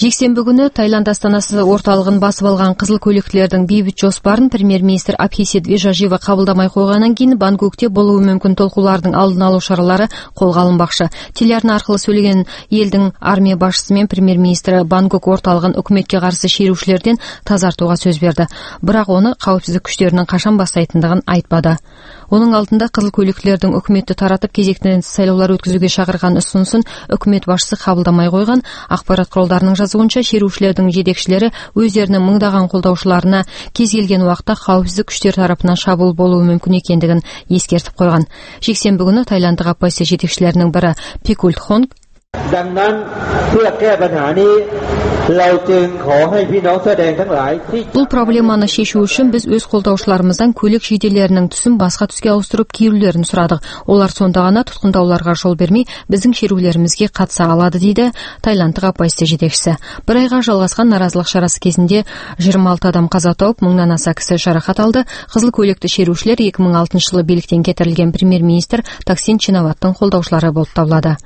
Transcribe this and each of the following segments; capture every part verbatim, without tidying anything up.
Жексенбі күнү Таиланд астанасы орталыгын басып алган кызыл көйлөктүүлөрдүн бейбит жоспарын премьер-министр Абхисит Вежажива кабылдамай койгондан кийин Бангкокте болуу мүмкүн толкуулардын алдын алуу чаралары колго алынбакчы. Телеарна аркылуу сүйлөгөн элдин армия башчысы менен премьер-министр Бангкок орталыгын өкмөткө каршы шерүүчүлөрдөн тазартууга сөз берди. Бирок оны коопсуздук күчтөрүнүн качан баштайтындыгын айтпады. Онун алдында кызыл көйлөктүүлөрдүн өкмөттү таратып кезектен сайлоолор өткүзүүгө чакырган ұсынусын өкмөт башчысы кабылдамай койгон. Акпарат куралдарынын жазуунча, шерүүчүлөрдүн жетекчилери өздөрүнүн мыңдаган колдоочуларына кез келген убакта коопсуздук күчтөр тарапынан шабуул болуу мүмкүн экендигин эскертип койгон. Жексенбі күнү Таиланддык оппозиция жетекчилеринин бири Пикульт Хонг бул проблеманы чечүү үчүн биз өз колдоочуларыбыздан көйлөк жейделеринин түсүн башка түскө ауыстырып кийүүлөрүн сурадык. Олар сонда гана туткундауларга жол бермей биздин шерүүлөрүбүзгө катыша алады, дейди Таиланддык оппозиция жетекчиси. Бир айга жалгаскан наразылык чарасы кезинде жыйырма алты адам каза тауып, мыңдан аса киши жаракат алды. Кызыл көйлөктүү шерүүчүлөр эки миң алтынчы жылы бийликтен кетирилген премьер-министр Таксин Чинаваттын колдоочулары болуп табылады.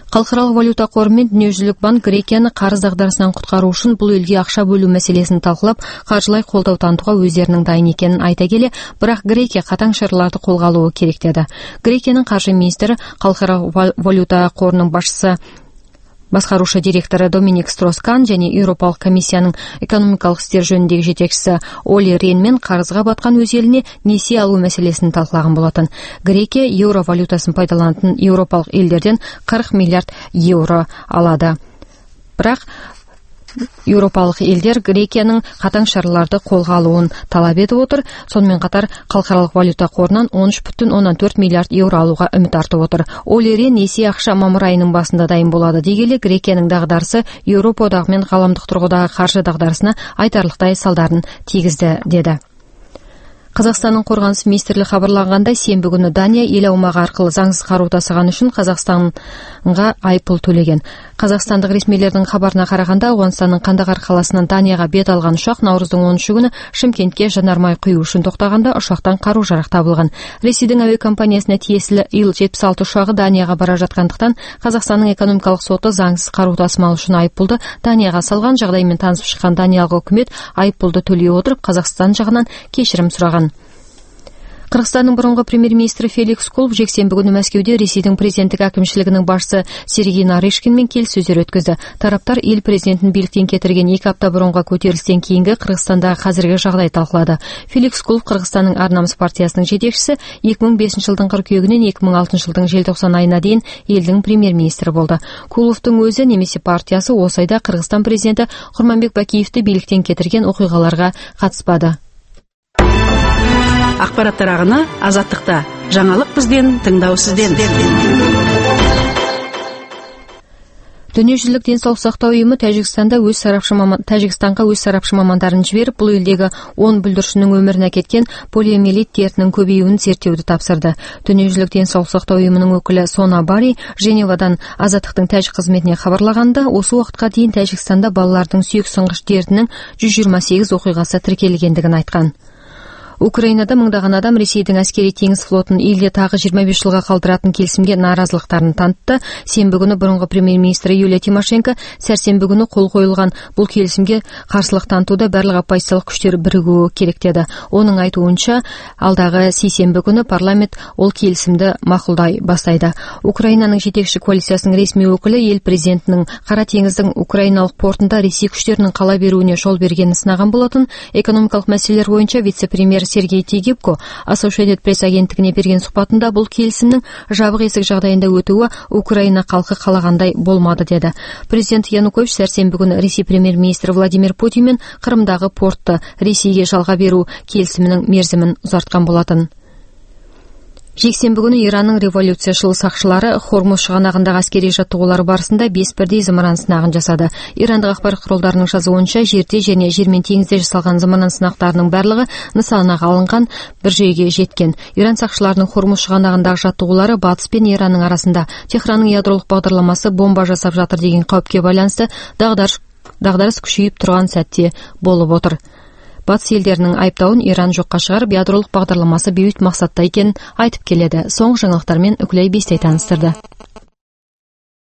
Калкаралык валюта кору менен Дүнүйөжүзүлүк банк Грекияны карыз дагдарысынан куткаруу үчүн бул элге акча бөлүү маселесин талкуулап, каржылай колдоо тантууга өздөрүнүн дайын экенин айта келе, бирок Грекия катаң чараларды колго алуу керек деди. Грекиянын каржы министри, Калкаралык валюта корунун башчысы баскаруучу директору Доминик Строскан жана Европалык комиссиянын экономикалык иштер жөнүндөгү жетекчиси Оли Рен менен карызга баткан өз элине несие алуу маселесин талкулаган болотун. Грекия евро валютасын пайдаланатын Европалык элдерден кырк миллиард евро алады. Бирок Европалык элдер Грекиянын катаң чараларды колго алуун талап этип отур. Сонун катар Калкаралык валюта корунан он үч бүтүн ондон төрт миллиард евро алууга үмүт артып отур. Оли Рен несие акча мамыр айынын башында дайын болот дегеле, Грекиянын дагдарысы Европа одагы менен кааламдык тургудагы каржы дагдарысына айтарлыктай салдарын тийгизди, деди. Казакстандын коргонус министрлиги кабарлагандай, сенбі күнү Дания эл аумагы аркылуу заңсыз каруу тасаган үчүн Казакстанга айыппул төлөгөн. Казакстандык ресмийлердин кабарына караганда, Ауганстандын Кандагар каласынан Данияга бет алган учак Наурыздын онунчу күнү Шымкентке жанармай куюу үчүн токтогонда учактан каруу-жарак табылган. Ресейдин авиа компаниясына тиесилүү Ил жетимиш алты учагы Данияга бара жаткандыктан Казакстандын экономикалык соту заңсыз каруу тасымал үчүн айыппулду Данияга салган. Жагдай менен таанышып чыккан Даниялык өкмөт айыппулду төлөй отуруп Казакстан жагынан кечирим сураган. Кыргызстандын мурунку премьер-министри Феликс Кулов жексенбі күнү Мәскеуде Ресейдин президенттик акимчилигинин башчысы Сергей Нарышкин менен келиссөздөр өткөздү. Тараптар эл президентин бийликтен кетирген эки апта мурунку көтөрүлүштөн кийинки Кыргызстандагы азыркы жагдайды талкуулады. Феликс Кулов Кыргызстандын Ар намыс партиясынын жетекчиси эки миң бешинчи жылдын кыркүйөгүнөн эки миң алтынчы жылдын желтоқсан айына дейин элдин премьер-министри болду. Куловдун өзү немесе партиясы осы айда Кыргызстан президенти Курманбек Бакиевди бийликтен кетирген окуйгаларга катыспады. Акпараттар агыны Азаттыкта. Жаңалык бизден, тыңдоо сизден. Дүнүйөжүзүлүк ден соолук сактоо уюму Тажикстанда өз сарапчы маман Тажикстанга өз сарапчы мамандарын жиберип, бул элдеги он бүлдүрчүнүн өмүрүнө кеткен полиомиелит дертинин көбөйүүнүн зерттөөдү тапшырды. Дүнүйөжүзүлүк ден соолук сактоо уюмунун өкүлү Сона Бари Женевадан Азаттыктын тажик кызметине кабарлаганда, осы убакытка дейин Тажикстанда балалардын сүйөк сынгыч дертинин жүз жыйырма сегиз окуйгасы тиркелгендигин айткан. Украинада мыңдаган адам Ресейдин аскери теңиз флотун элде тагы жыйырма беш жылга калтыратын келисимге нааразылыктарын тантты. Сенбі күнү мурунку премьер-министри Юлия Тимошенко сәрсенбі күнү кол коюлган бул келисимге каршылык тантууда барлык оппозициялык күчтөр биригүү керек деди. Онун айтуунча, алдагы сейсенбі күнү парламент ол келисимди макулдай баштайды. Украинанын жетекчи коалициясынын ресми өкүлү эл президентинин Кара теңиздин украиналык портунда Ресей күчтөрүнүн кала берүүнү жол бергенин сынаган болотун. Экономикалык маселелер боюнча вице-премьер Сергей Тигипко Associated Press агенттигине берген сухбатында бул келисимдин жабык эсик жагдайында өтүүгө Украина калкы калагандай болмады, деди. Президент Янукович сәрсенбі күнү Ресей премьер-министри Владимир Путин менен Кырымдагы портты Ресейге жалга берүү келисиминин мерзимин узарткан болотун. Жексенбі күнү Иранның революциячыл сакчылары Хормуз чыганагындагы аскерий жаттыгуулар барысында беш бирдей зымыран сынагын жасады. Ирандык акбарат куралдарынын жазуунча, жерде жана жер менен теңизде жасалган зымыран сынактарынын барлыгы нысанага алынган, бир жайга жеткен. Иран сакчыларынын Хормуз чыганагындагы жаттыгуулары Батыс пен Иранның арасында Техрандын ядролук багдарламасы бомба жасап жатыр деген кауіпке байланысты дагдарыс дагдарыс күчөйүп турган сәтте болуп отур. Батыс элдеринин айыптауын Иран жокко чыгарып, ядролук багдарламасы бейбит максатта экенин айтып келеді. Соңку жаңылыктар менен Үкүлөй Бестей тааныстырды.